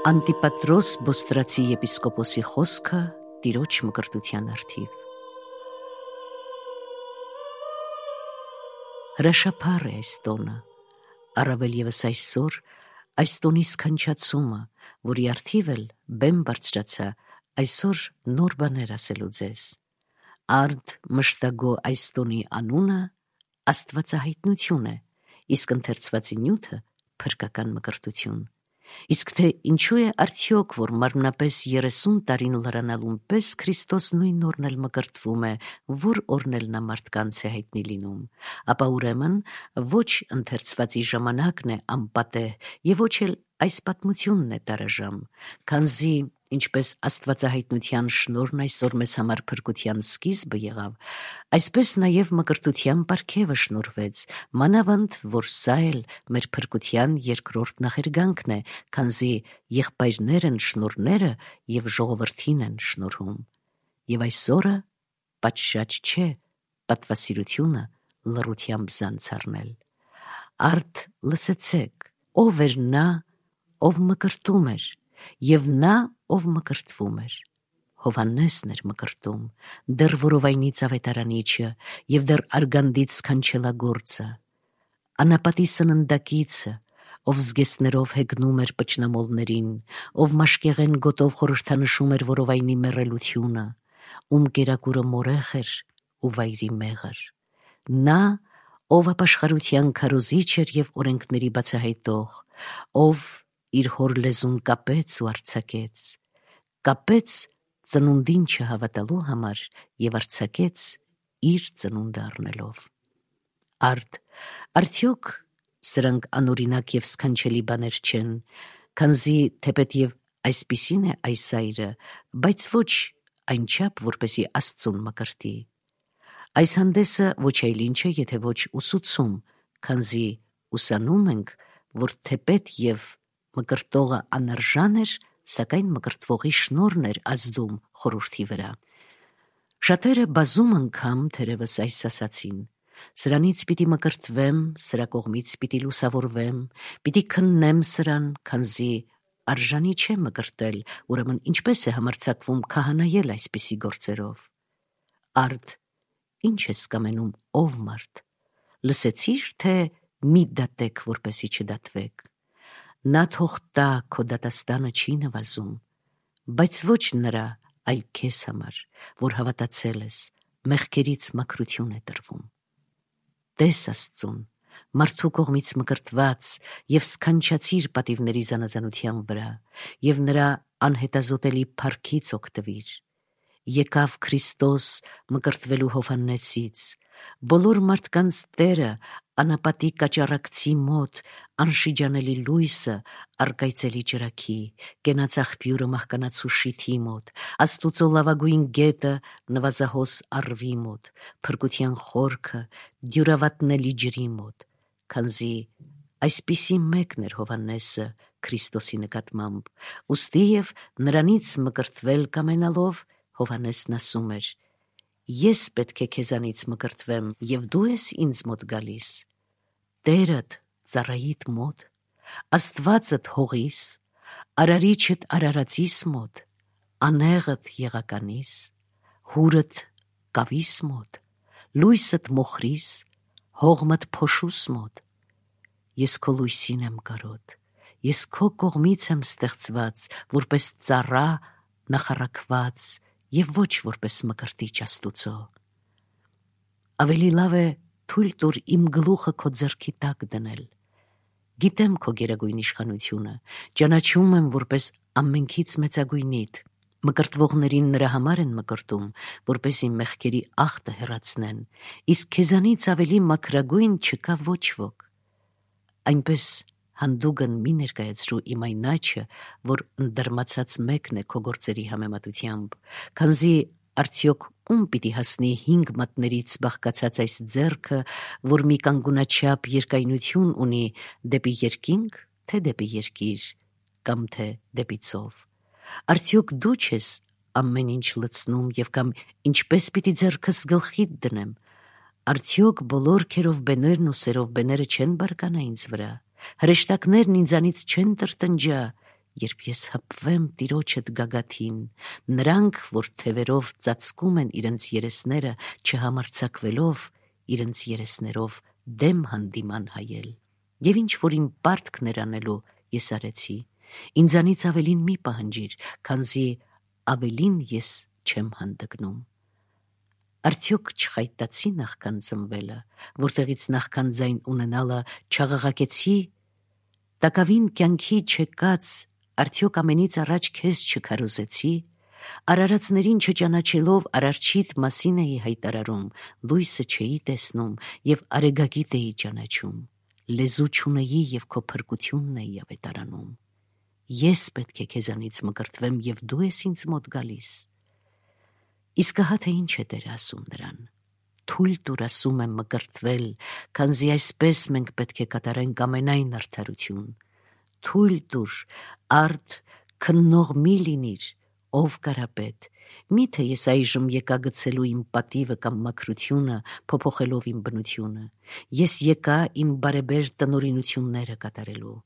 Անտիպատրոս Բոստրացի եպիսկոպոսի խոսքը տիրոջ մկրտության արդիվ։ Հրաշափառ է այս տոնը, առավել ևս այսօր այս տոնի սքանչացումը, որի արդիվ էլ բեմ բարձրացա այսօր նոր բաներ ասելու ձեզ։ Արդ մշտագո այս տոնի անունը աստվածահայտնություն է, իսկ ընթերցվածի նյութը փրկական մկրտություն։ Իսկ թե ինչու է արդյոք, որ մարմնապես 30 տարին լրանալուն պես Քրիստոս նույն օրն էլ մկրտվում է, որ օրն էլ նա մարդկանց է հայտնի լինում, ապա ուրեմն ոչ ընթերցվածի ժամանակն է անպատեհ և ոչ էլ այս պատմությունն է տարաժամ, քանզի ինչպես աստվածահայտնության շնորհն այսօր մեզ համար փրկության սկիզբը եղավ, այսպես նաև մկրտության պարգևը շնորհվեց, մանավանդ որ սա էլ մեր փրկության երկրորդ նախերգանքն է, քանզի եղբայրներն շնորհները և ժողովրդին են շնորհում։ Եվ այս օրը պատշաճ չէ պատվասիրությունը լռությամբ զանց առնել։ Արդ լսեցեք, ով էր նա, ով մկրտում էր, և նա, ով մկրտվում էր։ Հովհաննեսն էր մկրտում, դեռ որովայնից ավետարանիչը և դեռ արգանդից սքանչելագործը, անապատի սննդակիցը, ով զգեստներով հեգնում էր պճնամոլներին, ով մաշկեղեն գոտով խորհրդանշում էր որովայնի մեռելությունը, ում կերակուրը մորեխ էր ու վայրի մեղր։ Նա, ով ապաշխարության քարոզիչ էր և օրենքների բացահայտող, ով իր հոր լեզուն կապեց ու արձակեց, կապեց ծնունդին չհավատալու համար և արձակեց իր ծնունդը առնելով։ Արդ արդյոք սրանք անօրինակ և սքանչելի բաներ չեն, քանզի թեպետև այսպիսին է այս այրը, բայց ոչ այնչափ, որպեսի Աստծուն մկրտի։ Այս հանդեսը ոչ այլ ինչ է, եթե ոչ ուսուցում, քանզի ուսանում ենք, որ թեպետ և մկրտողը անարժան էր, սակայն մկրտվողի շնորհն էր ազդում խորհրդի վրա։ Շատերը բազում անգամ թերևս այս ասացին. սրանից պիտի մկրտվեմ, սրա կողմից պիտի լուսավորվեմ, պիտի քննեմ սրան, քանզի արժանի չէ մկրտել, ուրեմն ինչպես է համարձակվում քահանայել այսպիսի գործերով։ Արդ ինչ ես կամենում, ով մարդ, լսեցի՞ր, թե մի դատեք, որպեսի չդատվեք։ Նա թող տա, քո դատաստանը չի նվազում, բայց ոչ նրա, այլ քեզ համար, որ հավատացել ես, մեղքերից մաքրություն է տրվում։ Տես Աստծուն, մարդու կողմից մկրտված և սքանչացիր պատիվների զանազանության վրա և նրա անհետազոտելի փառքից օգտվիր։ Եկավ Քրիստոս մկրտվելու Հովհաննեսից, բոլոր մարդկանց Տերը, անապատի կաճառակցի մոտ, անշիջանելի լույսը, առկայծելի ճրագի, կենաց աղբյուրը մահկանացու շիթի մոտ, Աստուծո լավագույն գետը նվազահոս առվի մոտ, փրկության խորքը դյուրավատնելի ջրի մոտ, քանզի այսպիսի մեկն էր Հովհաննեսը Քրիստոսի նկատմամբ, ուստի և նրանից մկրտվել կամենալով Հովհաննեսն ասում էր. ես պետք է քեզանից մկրտվեմ, և դու ես ինձ մոտ գալիս, Տերդ ծառայիդ մոտ, Աստվածդ հողիս, Արարիչդ Արարածիս մոտ, անեղդ եղականիս, հուրդ կավիս մոտ, լույսդ մոխրիս, հողմդ փոշուս մոտ։ Ես քո լույսին եմ կարոտ, ես քո կողմից եմ ստեղծված, որպես ծառա նախառագված և ոչ որպես մկրտիչ Աստուծո։ Ավելի լավ է թույլ տուր իմ գլուխը քո ձեռքի տակ դնել։ Գիտեմ քո գերագույն իշխանությունը, ճանաչում եմ որպես ամենքից մեծագույնիդ։ Մկրտվողներին նրա համար են մկրտում, որպեսզի մեղքերի ախտը հեռացնեն, իսկ քեզանից ավելի մաքրագույն չկա ոչ ոք։ Այնպես հանդուգն մի ներկայացրու իմ այն աչքը, որ ընդդարմացած մեկն է քո գործերի համեմատությամբ, քանզի արդյոք ում պիտի հասնի 5 մատներից բաղկացած այս ձեռքը, որ մի կանգունաչափ երկայնություն ունի դեպի երկինք, թե դեպի երկիր, կամ թե դեպի ծով։ Արդյոք դու չես ամեն ինչ լցնում և կամ ինչպես պիտի ձեռքս գլխիդ դնեմ, արդյոք բոլոր քերովբեներն ու սերովբեները չեն բարկանա ինձ վրա, հրեշտակներն ինձանից չեն տրտնջա, երբ ես հպվեմ տիրոջդ գագաթին, նրանք, որ թևերով ծածկում են իրենց երեսները, չհամարձակվելով իրենց երեսներով դեմ հանդիման հայել, եւ ինչ որ իմ պարտքներ անելու ես արեցի, ինձանից ավելին մի պահանջիր, քանզի ավելին ես չեմ հանդգնում։ Արդյոք չխայտացի նախքան ծնվելը, որտեղից նախքան ձայն ունենալը չաղաղակեցի, տակավին կյանքի չեկած, արդյոք ամենից առաջ քեզ չքարոզեցի, արարածներին չճանաչելով արարչիդ մասին էի հայտարարում, լույսը չէի տեսնում և արեգակիտ էի ճանաչում, լեզու չունեի և քո փրկությունն էի ավետարանում։ Ես պետք է քեզանից մկրտվեմ և դու ես ինձ մոտ գալիս։ Իսկ ահա թե ինչ է Տերը ասում նրան. թույլ տուր ասում եմ մկրտվել, քանզի այսպես մենք պետք է կատարենք ամենայն արդարություն։ Թույլ տուր, արդ քննող մի լինիր, ով կարապետ, միթե ես այժմ եկա գցելու իմ պատիվը կամ մաքրությունը, փոփոխելով իմ բնությունը։ Ես եկա իմ բարեբեր տնօրինությունները կատարելու։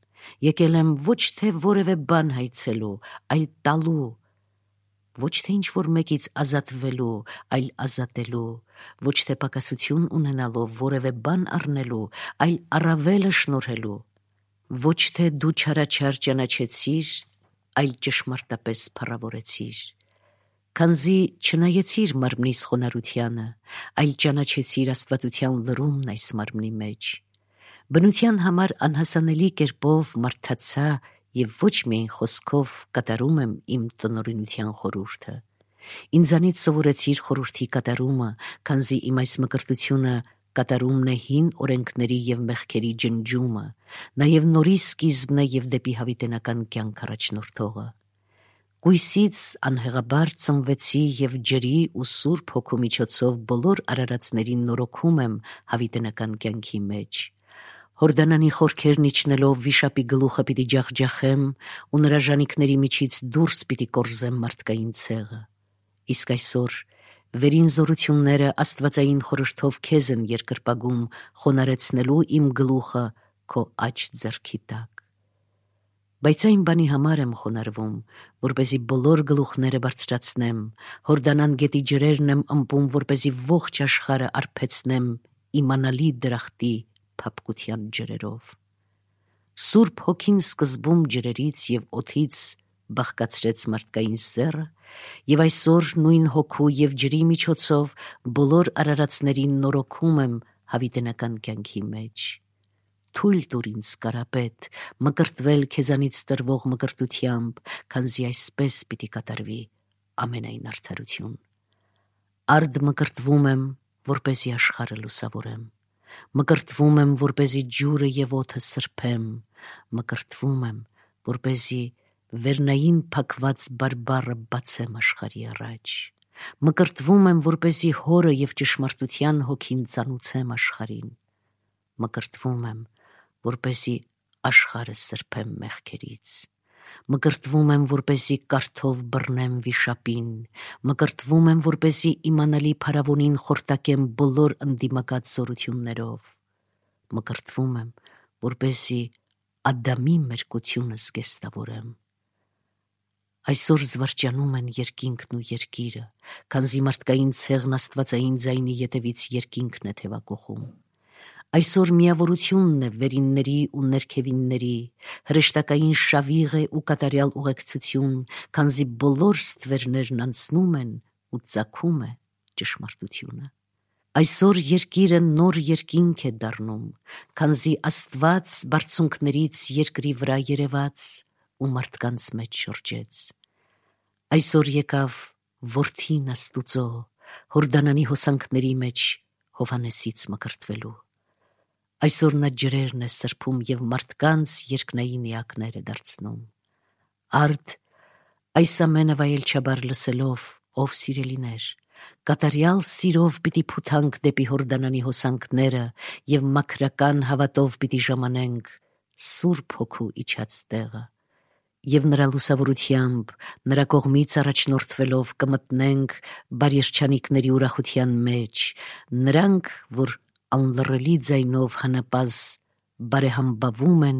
Եկել եմ ոչ թե որևէ բան հայցելու, այլ տալու, ոչ թե ինչ-որ մեկից ազատվելու, այլ ազատելու, ոչ թե պակասություն ունենալով որևէ բան առնելու, այլ առավելը շնորհելու, ոչ թե դու չարաչար ճանաչեցիր, այլ ճշմարտապես փառավորեցիր, քանզի չնայեցիր մարմնիս խոնարհությանը, այլ ճանաչեցիր աստվածության լրումն այս մարմնի մեջ։ Բնության համար անհասանելի կերպով մարդացա և ոչ միայն խոսքով կատարում եմ իմ տնօրինության խորհուրդը։ Ինձանից սովորեցիր խորհրդի կատարումը, քանզի իմ այս մկրտությունը կատարումն է հին օրենքների և մեղքերի ջնջումը, նաև նորի սկիզբն է և դեպի հավիտենական կյանք առաջնորդողը։ Կույսից անհեղաբար ծնվեցի և ջրի ու Սուրբ Հոգու միջոցով բոլոր արարածներին նորոգում եմ հավիտենական կյանքի մեջ։ Հորդանանի խորքերն իջնելով վիշապի գլուխը պիտի ջախջախեմ ու նրա ժանիքների միջից դուրս պիտի կորզեմ մարդկային ցեղը։ Իսկ այսօր վերին զորությունները աստվածային խորհրդով քեզ են երկրպագում խոնարեցնելու իմ գլուխը քո աջ ձեռքի տակ։ Բայց այն բանի համար եմ խոնարհվում, որպեսզի բոլոր գլուխները բարձրացնեմ, Հորդանան գետի ջրերն եմ ըմպում, որպեսզի ողջ աշխարհը արբեցնեմ իմանալի դրախտի փափկության ջրերով։ Սուրբ Հոգին սկզբում ջրերից և օդից բաղկացրեց մարդկային սեռը, և այսօր նույն հոգու և ջրի միջոցով բոլոր արարածներին նորոգում եմ հավիտենական կյանքի մեջ։ Թույլ տուր ինձ կարապետ մկրտվել քեզանից տրվող մկրտությամբ, քանզի այսպես պիտի կատարվի ամենայն արդարություն։ Արդ մկրտվում եմ, որպեսզի աշխարհը լուսավորեմ, մկրտվում եմ, որպեսզի ջուրը և օդը սրբեմ, մկրտվում եմ, որպեսզի վերնային փակված բարբառը բացեմ աշխարհի առաջ, մկրտվում եմ, որպեսզի հորը և ճշմարտության հոգին ծանուցեմ աշխարհին, մկրտվում եմ, որպեսզի աշխարհը սրբեմ մեղքերից, մկրտվում եմ, որպեսզի կարթով բռնեմ վիշապին, մկրտվում եմ, որպեսզի իմանալի փարավոնին խորտակեմ բոլոր ընդդիմակաց զորություններով, մկրտվում եմ, որպեսզի Ադամի մերկությունը զգեստավորեմ։ Այսօր զվարճանում են երկինքն ու երկիրը, քանզի մարդկային ցեղն աստվածային ձայնի ետևից երկինքն է թևակողում։ Այսօր միավորությունն է վերինների ու ներքևինների, հրեշտակային շավիղ է ու կատարյալ ուղեկցություն, քանզի բոլոր ստվերներն անցնում են ու ծագում է ճշմարտությունը։ Այսօր երկիրը նոր երկինք է դառնում, քանզի Աստված բարձունքներից երկրի վրա երևաց ու մարդկանց մեջ շրջեց։ Այսօր եկավ Որդին Աստուծո Հորդանանի հոսանքների մեջ Հովհաննեսից մկրտվելու։ Այսօր նա ջրերն է սրբում և մարդկանց երկնային էակներ է դարձնում։ Արդ այս ամենը վայելչաբար լսելով, ով սիրելիներ, կատարյալ սիրով պիտի փութանք դեպի Հորդանանի հոսանքները և մաքրական հավատով պիտի ժամանենք Սուրբ Հոգու իջած տեղը, և նրա լուսավորությամբ, նրա կողմից առաջնորդվելով կմտնենք բարերջանիկների ուրախության մեջ, նրանք, որ անլռելի ձայնով հանապազ բարեհամբավում են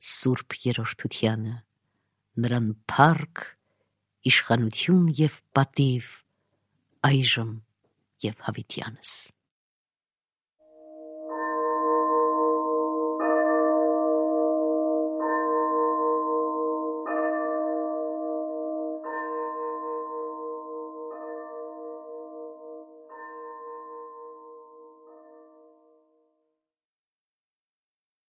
Սուրբ Երրորդությանը, նրան փառք, իշխանություն և պատիվ այժմ և հավիտյանս։